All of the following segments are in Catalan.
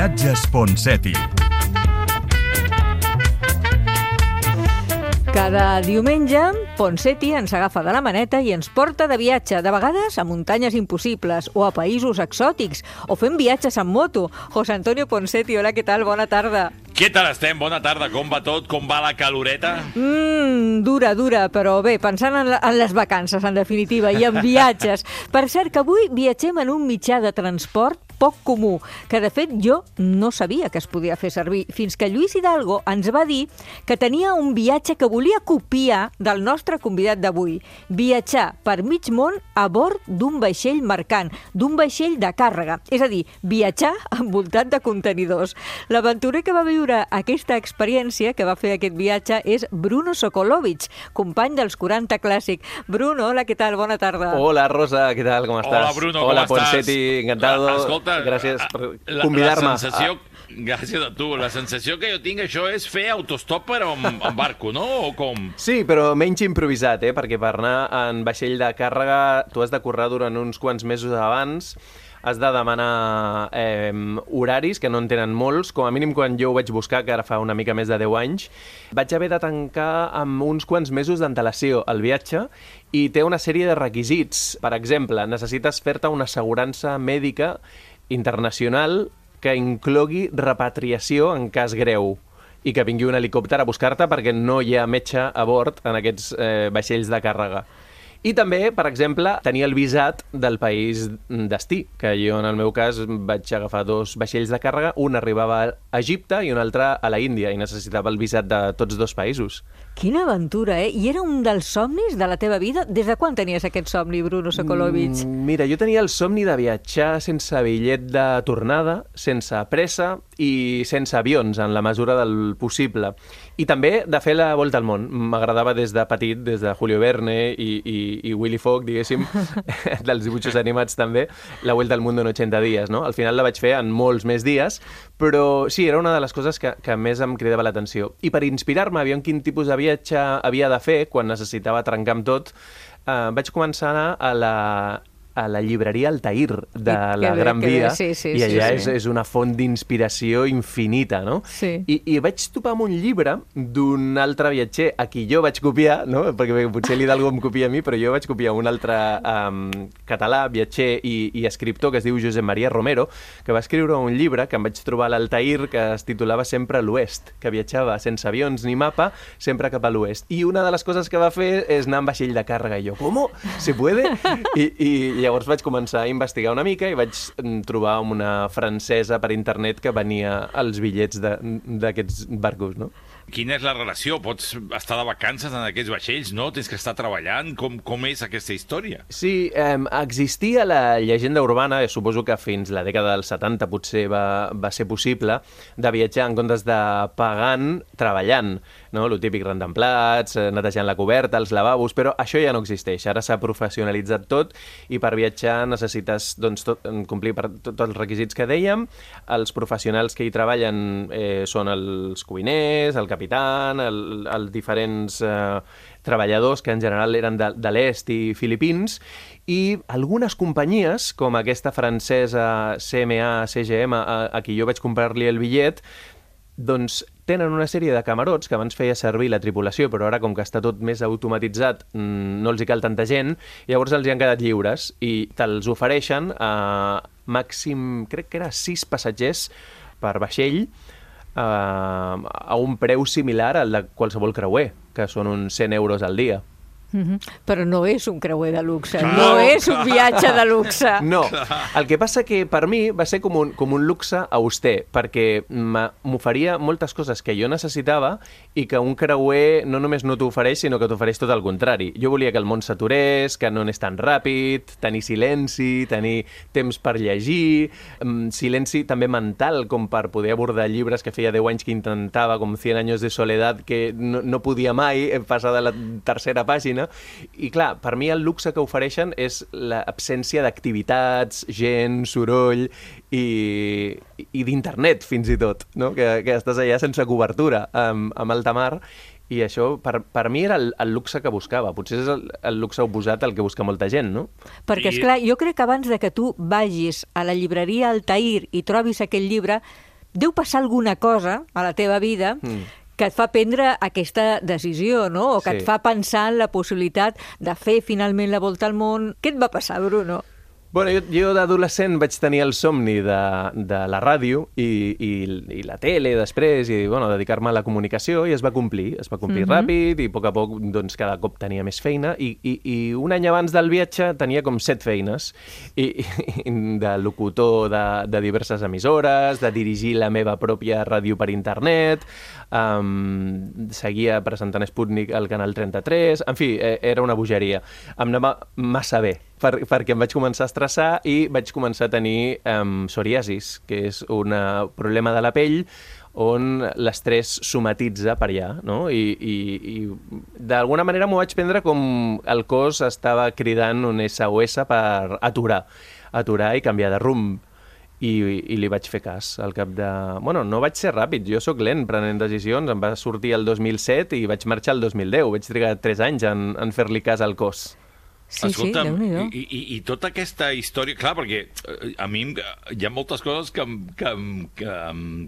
Viatges Ponseti. Cada diumenge, Ponseti ens agafa de la maneta i ens porta de viatge, de vegades a muntanyes impossibles o a països exòtics, o fem viatges en moto. José Antonio Ponseti, hola, què tal? Bona tarda. Què tal estem? Bona tarda. Com va tot? Com va la caloreta? Dura, però bé, pensant en les vacances, en definitiva, i en viatges. Per cert, que avui viatgem en un mitjà de transport poc comú, que de fet jo no sabia que es podia fer servir, fins que Lluís Hidalgo ens va dir que tenia un viatge que volia copiar del nostre convidat d'avui. Viatjar per mig món a bord d'un vaixell mercant, d'un vaixell de càrrega, és a dir, viatjar envoltat de contenidors. L'aventurer que va viure aquesta experiència, que va fer aquest viatge, és Bruno Sokolovic, company dels 40 Clàssic. Bruno, hola, què tal? Bona tarda. Hola, Rosa, què tal? Com estàs? Hola, Bruno, Hola, com estàs? Ponseti, encantado. Escolta, gràcies per convidar-me. La sensació, gràcies a tu, la sensació que jo tinc, això és fer autostop però en barco, no? O com? Sí, però menys improvisat, perquè per anar en vaixell de càrrega tu has de currar durant uns quants mesos abans, has de demanar horaris, que no en tenen molts. Com a mínim, quan jo ho vaig buscar, que ara fa una mica més de 10 anys, vaig haver de tancar amb uns quants mesos d'antelació el viatge i té una sèrie de requisits. Per exemple, necessites fer-te una assegurança mèdica internacional que inclogui repatriació en cas greu i que vingui un helicòpter a buscar-te perquè no hi ha metge a bord en aquests vaixells de càrrega. I també, per exemple, tenir el visat del país destí, que jo, en el meu cas, vaig agafar 2 vaixells de càrrega, un arribava a Egipte i un altre a la Índia, i necessitava el visat de tots 2 països. Quina aventura, eh? I era un dels somnis de la teva vida? Des de quan tenies aquest somni, Bruno Sokolovic? Mira, jo tenia el somni de viatjar sense bitllet de tornada, sense pressa i sense avions, en la mesura del possible. I també de fer la volta al món. M'agradava des de petit, des de Julio Verne i Willy Fogg, diguéssim, dels dibuixos animats també, la Vuelta al Mundo en 80 dies, no? Al final la vaig fer en molts més dies, però sí, era una de les coses que més em cridava l'atenció. I per inspirar-me, aviam quin tipus de viatge havia de fer quan necessitava trencar amb tot, vaig començar a anar a la llibreria Altair de la Gran Via, i allà és una font d'inspiració infinita, no? Sí. I vaig topar amb un llibre d'un altre viatger a qui jo vaig copiar, no? Perquè potser l'Hidalgo em copia a mi, però jo vaig copiar un altre català, viatger i escriptor que es diu Josep Maria Romero, que va escriure un llibre que em vaig trobar a l'Altair que es titulava Sempre a l'Oest, que viatjava sense avions ni mapa, sempre cap a l'Oest. I una de les coses que va fer és anar en vaixell de càrrega. I jo, ¿cómo? ¿Se puede? I llavors vaig començar a investigar una mica i vaig trobar una francesa per internet que venia els bitllets d'aquests barcos, no? Quina és la relació? Pots estar de vacances en aquests vaixells, no? Tens que estar treballant? Com és aquesta història? Sí, existia la llegenda urbana, suposo que fins la dècada dels 70 potser va ser possible, de viatjar en comptes de pagant, treballant, no? Lo típic rentant plats, netejant la coberta, els lavabos, però això ja no existeix. Ara s'ha professionalitzat tot i per viatjar necessites complir tots els requisits que dèiem. Els professionals que hi treballen són els cuiners, el capitán, els diferents treballadors que en general eren de l'est i filipins, i algunes companyies, com aquesta francesa CMA-CGM, a qui jo vaig comprar-li el bitllet, doncs tenen una sèrie de camarots que abans feia servir la tripulació, però ara, com que està tot més automatitzat, no els hi cal tanta gent, llavors els hi han quedat lliures i te'ls ofereixen a màxim, crec que era 6 passatgers per vaixell, a un preu similar al de qualsevol creuer, que són uns 100 euros al dia. Però no és un creuer de luxe, no és un viatge de luxe. No, el que passa que per mi va ser com un luxe auster, perquè m'oferia moltes coses que jo necessitava i que un creuer no només no t'ofereix, sinó que t'ofereix tot el contrari. Jo volia que el món s'aturés, que no anés tan ràpid, tenir silenci, tenir temps per llegir, silenci també mental, com per poder abordar llibres que feia 10 anys que intentava, com 100 años de soledad, que no podia mai passar de la tercera pàgina. I clar, per mi el luxe que ofereixen és l'absència d'activitats, gent, soroll i d'internet, fins i tot, no? Que estàs allà sense cobertura, amb alta mar, i això per mi era el luxe que buscava. Potser és el luxe oposat al que busca molta gent, no? Perquè, esclar, jo crec que abans de que tu vagis a la llibreria Altair i trobis aquell llibre, deu passar alguna cosa a la teva vida que et fa prendre aquesta decisió, no? O que et fa pensar en la possibilitat de fer finalment la volta al món. Què et va passar, Bruno? Bueno, jo d'adolescent vaig tenir el somni de la ràdio i la tele després, i bueno, dedicar-me a la comunicació, i es va complir ràpid, i a poc doncs, cada cop tenia més feina, i un any abans del viatge tenia com 7 feines, i de locutor de diverses emissores, de dirigir la meva pròpia ràdio per internet, seguia presentant Sputnik al Canal 33, en fi, era una bogeria. Em anava massa bé, perquè em vaig començar a estressar i vaig començar a tenir psoriasis, que és un problema de la pell on l'estrès somatitza per allà, no? I d'alguna manera m'ho vaig prendre com el cos estava cridant un SOS per aturar i canviar de rumb. I li vaig fer cas al cap de... Bueno, no vaig ser ràpid, jo sóc lent prenent decisions, em va sortir el 2007 i vaig marxar el 2010, vaig trigar 3 anys en fer-li cas al cos. Sí, Escolta'm, sí, Déu-n'hi-do. i tota aquesta història... Clar, perquè a mi hi ha moltes coses que em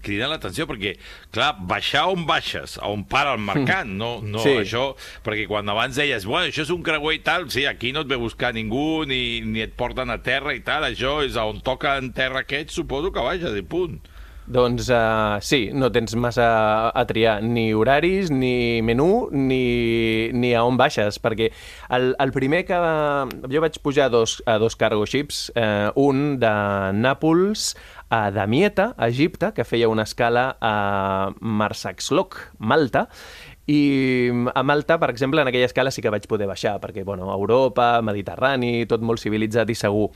criden l'atenció, perquè, clar, baixar on baixes, on para el mercant, no sí. Això... Perquè quan abans deies, bueno, això és un creuer i tal, sí, aquí no et ve buscar ningú, ni et porten a terra i tal, això és on toca en terra aquest, suposo que baixes, i punt. Doncs sí, no tens massa a triar, ni horaris, ni menú, ni a on baixes, perquè el primer que... Jo vaig pujar a dos cargo ships, un de Nàpols a Damietta, a Egipte, que feia una escala a Marsaxlok, Malta, i a Malta, per exemple, en aquella escala sí que vaig poder baixar, perquè, bueno, Europa, Mediterrani, tot molt civilitzat i segur.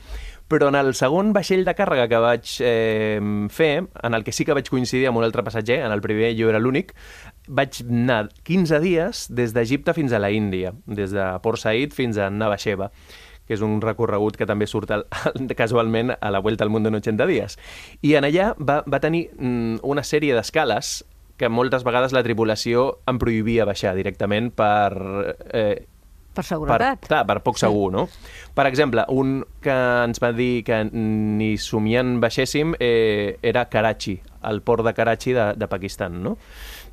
Però en el segon vaixell de càrrega que vaig fer, en el que sí que vaig coincidir amb un altre passatger, en el primer jo era l'únic, vaig anar 15 dies des d'Egipte fins a la Índia, des de Port Said fins a Navasheva, que és un recorregut que també surt casualment a la Vuelta al Mundo en 80 dies. I en allà va tenir una sèrie d'escales que moltes vegades la tripulació em prohibia baixar directament per seguretat. Per poc segur, no? Per exemple, un que ens va dir que ni somiant baixéssim era Karachi, el port de Karachi de Pakistan, no?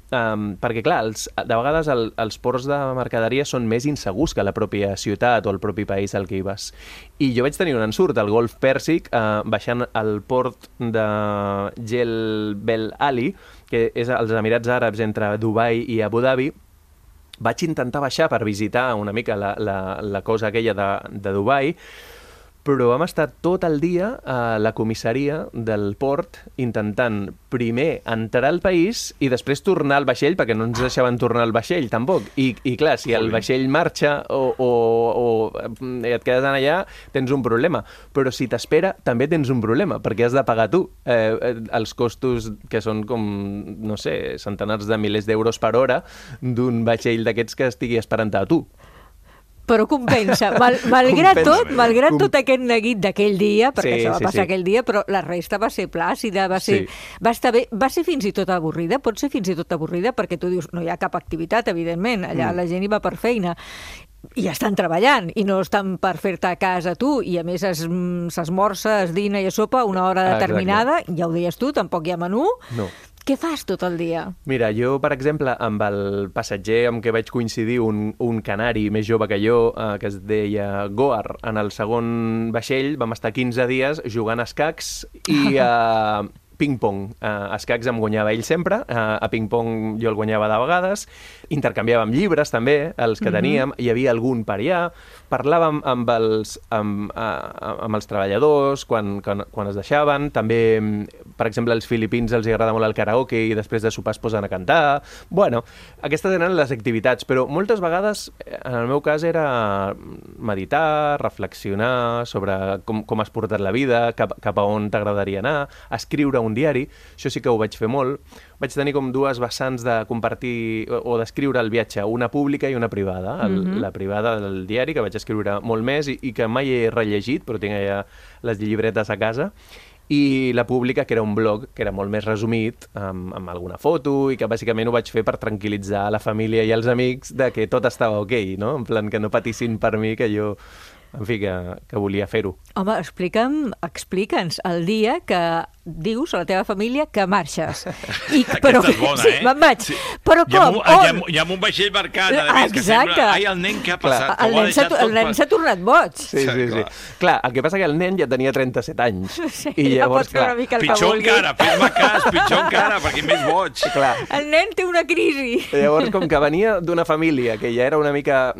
Perquè, clar, de vegades els ports de mercaderia són més insegurs que la pròpia ciutat o el propi país al que hi vas. I jo vaig tenir un ensurt al Golf Pèrsic, baixant al port de Jebel Ali, que és als Emirats Àrabs entre Dubai i Abu Dhabi. Vaig intentar baixar per visitar una mica la cosa aquella de Dubai, però vam estar tot el dia a la comissaria del port intentant primer entrar al país i després tornar al vaixell, perquè no ens deixaven tornar al vaixell, tampoc. I clar, si el vaixell marxa o et quedes allà, tens un problema. Però si t'espera, també tens un problema, perquè has de pagar tu els costos que són com, no sé, centenars de milers d'euros per hora d'un vaixell d'aquests que estigui esperant a tu. Però compensa. Malgrat tot aquest neguit d'aquell dia, perquè això va passar aquell dia, però la resta va ser plàcida, va estar bé, va ser fins i tot avorrida, pot ser fins i tot avorrida, perquè tu dius, no hi ha cap activitat, evidentment, allà la gent hi va per feina, i estan treballant, i no estan per fer-te a casa tu, i a més s'esmorza, es dina i es sopa a una hora determinada, ja ho deies tu, tampoc hi ha menú. No. Què fas tot el dia? Mira, jo, per exemple, amb el passatger amb què vaig coincidir, un canari més jove que jo, que es deia Goar, en el segon vaixell vam estar 15 dies jugant a escacs i a ping-pong. A escacs em guanyava ell sempre, a ping-pong jo el guanyava de vegades, intercanviàvem llibres també, els que teníem, hi havia algun per allà, parlàvem amb els treballadors quan es deixaven, també, per exemple, als filipins els agrada molt el karaoke i després de sopar es posen a cantar. Bueno, aquestes eren les activitats, però moltes vegades, en el meu cas, era meditar, reflexionar sobre com has portat la vida, cap a on t'agradaria anar, escriure un diari, això sí que ho vaig fer molt. Vaig tenir com dues vessants de compartir o d'escriure el viatge, una pública i una privada. La privada del diari, que vaig escriure molt més i que mai he rellegit, però tinc allà les llibretes a casa, i la pública, que era un blog, que era molt més resumit, amb alguna foto, i que bàsicament ho vaig fer per tranquil·litzar la família i els amics de que tot estava ok, no? En plan, que no patissin per mi, que jo en fi, que volia fer-ho. Home, explica'ns el dia que dius a la teva família que marxes. Aquesta és bona, sí, me'n vaig. Sí. Però com? Hi ha un vaixell marcant, a més, que sembla... Ai, el nen, què ha passat? El nen s'ha tornat boig. Sí. Clar, el que passa que el nen ja tenia 37 anys. Sí, i llavors, ja pot fer una mica el que vulgui. Pitjor encara, fes-me cas, pitjor encara, perquè més boig. Clar. El nen té una crisi. Llavors, com que venia d'una família que ja era una mica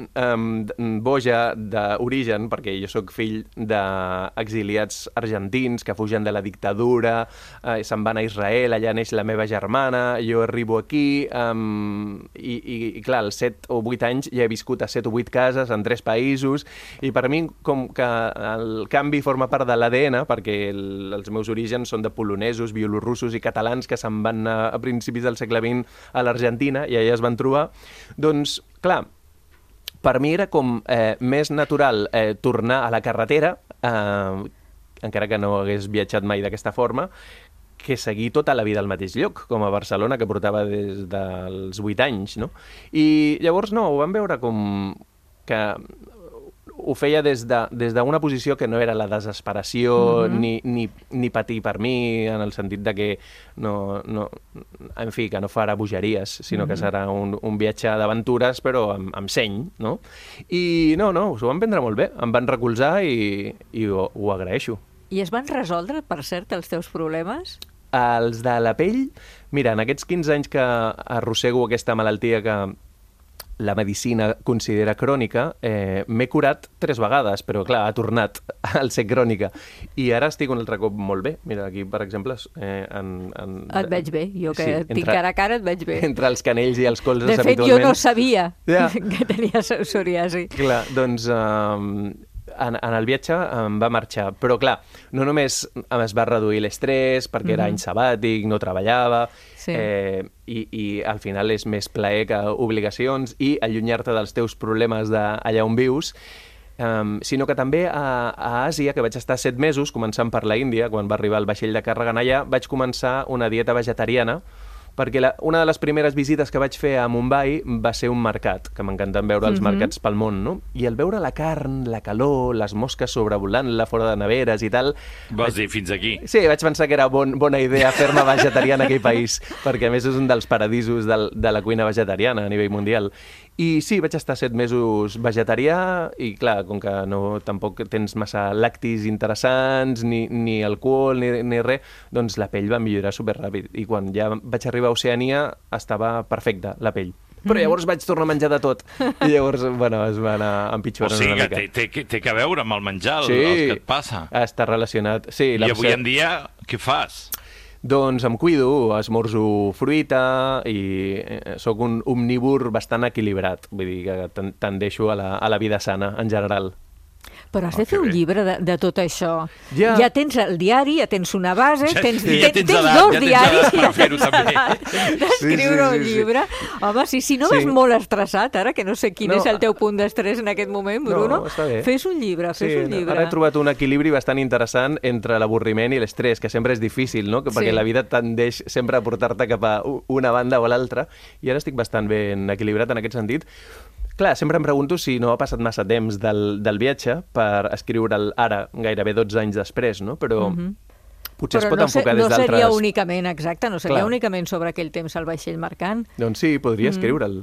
boja d'origen, perquè jo sóc fill d'exiliats argentins que fugen de la dictadura, se'n van a Israel, allà neix la meva germana, jo arribo aquí, i clar, als 7 o 8 anys ja he viscut a 7 o 8 cases en 3 països, i per mi com que el canvi forma part de l'ADN, perquè els meus orígens són de polonesos, bielorussos i catalans que se'n van a principis del segle XX a l'Argentina i allà es van trobar, doncs, clar, per mi era com més natural tornar a la carretera, encara que no hagués viatjat mai d'aquesta forma, que seguir tota la vida al mateix lloc, com a Barcelona, que portava des dels 8 anys, no? I llavors, no, ho vam veure com que ho feia des d'una posició que no era la desesperació ni patir per mi, en el sentit de que en fi, que no farà bogeries, sinó que serà un viatge d'aventures, però amb seny, no? I no, s'ho van prendre molt bé, em van recolzar i ho agraeixo. I es van resoldre, per cert, els teus problemes? Els de la pell, mira, en aquests 15 anys que arrossego aquesta malaltia que la medicina considera crònica, m'he curat 3 vegades, però clar, ha tornat al ser crònica. I ara estic un altre cop molt bé. Mira, aquí, per exemple... Et veig bé, jo que tinc cara a cara et veig bé. Entre els canells i els colzes, de fet, habitualment... jo no sabia que tenia psoriasi. Clar, doncs... En el viatge em va marxar, però clar, no només es va reduir l'estrès perquè era any sabàtic, no treballava, i al final és més plaer que obligacions i allunyar-te dels teus problemes d'allà on vius, sinó que també a Àsia, que vaig estar 7 mesos, començant per la Índia, quan va arribar el vaixell de càrrega allà, vaig començar una dieta vegetariana, perquè una de les primeres visites que vaig fer a Mumbai va ser un mercat, que m'encanten veure els mercats pel món, no? I al veure la carn, la calor, les mosques sobrevolant-la fora de neveres i tal... Vas dir, fins aquí. Sí, vaig pensar que era bona idea fer-me vegetarià en aquell país, perquè a més és un dels paradisos de la cuina vegetariana a nivell mundial. I sí, vaig estar 7 mesos vegetarià i, clar, com que tampoc tens massa lactis interessants, ni alcohol, ni res, doncs la pell va millorar superràpid. I quan ja vaig arribar a Oceania estava perfecta, la pell. Però llavors vaig tornar a menjar de tot. I llavors, bueno, es va anar empitjorant una mica. O sigui que té que veure amb el menjar, el que et passa. Està relacionat. Sí, I avui en dia, què fas? Doncs em cuido, esmorzo fruita i sóc un omnívor bastant equilibrat. Vull dir que tendeixo a la vida sana, en general. Però has de fer un llibre de tot això. Ja tens el diari, ja tens una base, tens 2 diaris i ja tens edat d'escriure un llibre. Home, si no vas molt estressat, ara, que no sé quin és el teu punt d'estrès en aquest moment, Bruno, fes un llibre, Ara he trobat un equilibri bastant interessant entre l'avorriment i l'estrès, que sempre és difícil, no? Perquè la vida tendeix sempre a portar-te cap a una banda o l'altra, i ara estic bastant ben equilibrat en aquest sentit. Clar, sempre em pregunto si no ha passat massa temps del viatge per escriure'l ara, gairebé 12 anys després, no? Però potser es pot enfocar des d'altres... No seria únicament, exacte, no seria únicament sobre aquell temps al vaixell mercant. Doncs sí, podria escriure'l.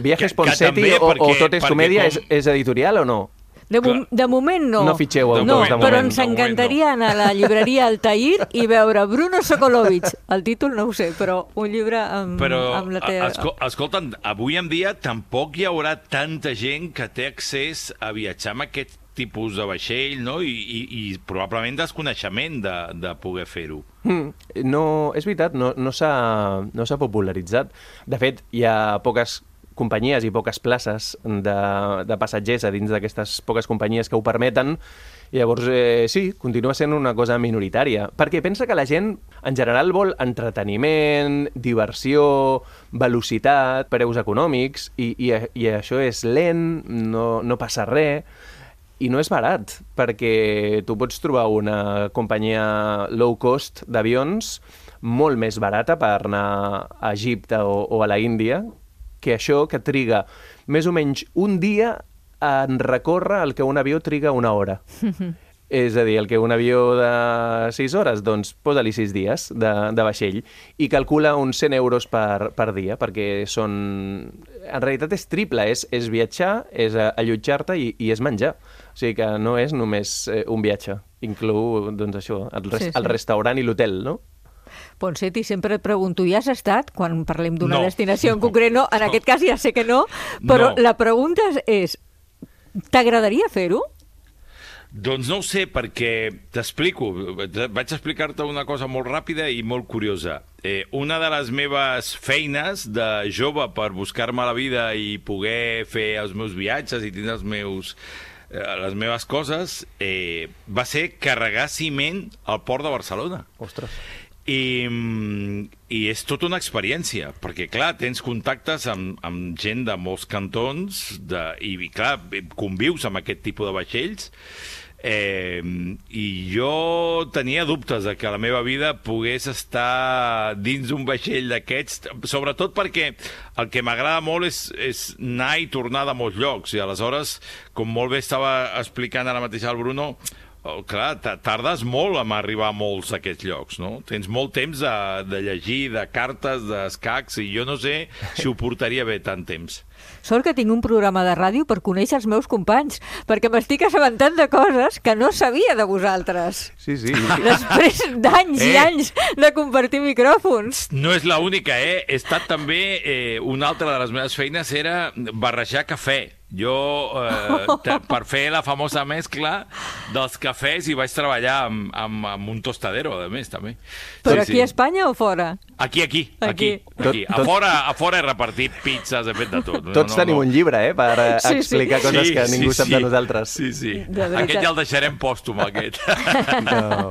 Viajes Ponseti o Tot és comèdia és editorial o no? De moment no. No fitxeu autors de moment. Però ens encantaria anar a la llibreria Altair i veure Bruno Sokolovic. El títol no ho sé, però un llibre amb la teva... Escolta'm, avui en dia tampoc hi haurà tanta gent que té accés a viatjar amb aquest tipus de vaixell, no? I probablement desconeixement de poder fer-ho. No, és veritat, no s'ha popularitzat. De fet, hi ha poques companyies i poques places de passatgers a dins d'aquestes poques companyies que ho permeten, i llavors sí, continua sent una cosa minoritària, perquè pensa que la gent en general vol entreteniment, diversió, velocitat, preus econòmics, i això és lent, no passa res, i no és barat, perquè tu pots trobar una companyia low cost d'avions molt més barata per anar a Egipte o a la Índia, que això que triga més o menys un dia en recórrer el que un avió triga una hora. És a dir, el que un avió de 6 hores, doncs posa-li 6 dies de vaixell i calcula uns 100 euros per dia, perquè són... En realitat és triple, és viatjar, és allotjar-te i és menjar. O sigui que no és només un viatge, inclou, doncs això, el restaurant i l'hotel, no? Ponseti, sempre et pregunto, hi has estat quan parlem d'una destinació en concret? No, en aquest cas ja sé que no, però la pregunta és, t'agradaria fer-ho? Doncs no ho sé, perquè t'explico. Vaig explicar-te una cosa molt ràpida i molt curiosa. Una de les meves feines de jove per buscar-me la vida i poder fer els meus viatges i tindre les meves coses va ser carregar ciment al port de Barcelona. Ostres. I és tota una experiència, perquè, clar, tens contactes amb gent de molts cantons i, clar, convius amb aquest tipus de vaixells i jo tenia dubtes de que la meva vida pogués estar dins d'un vaixell d'aquests, sobretot perquè el que m'agrada molt és anar i tornar de molts llocs, i aleshores, com molt bé estava explicant ara mateix el Bruno, clar, tardes molt en arribar a molts d'aquests llocs, no? Tens molt temps de llegir, de cartes, d'escacs, i jo no sé si ho portaria bé tant temps. Sort que tinc un programa de ràdio per conèixer els meus companys, perquè m'estic assabentant de coses que no sabia de vosaltres. Sí. Després d'anys i anys de compartir micròfons. No és l'única, He estat també... Una altra de les meves feines era barrejar cafè. Jo, per fer la famosa mescla dels cafès, hi vaig treballar amb un tostadero, a més, també. Però aquí a Espanya o fora? Aquí. A fora he repartit pizzas, he fet de tot. Tots tenim un llibre, per explicar coses que ningú sap de nosaltres. Sí. Aquest ja el deixarem pòstum, aquest. No.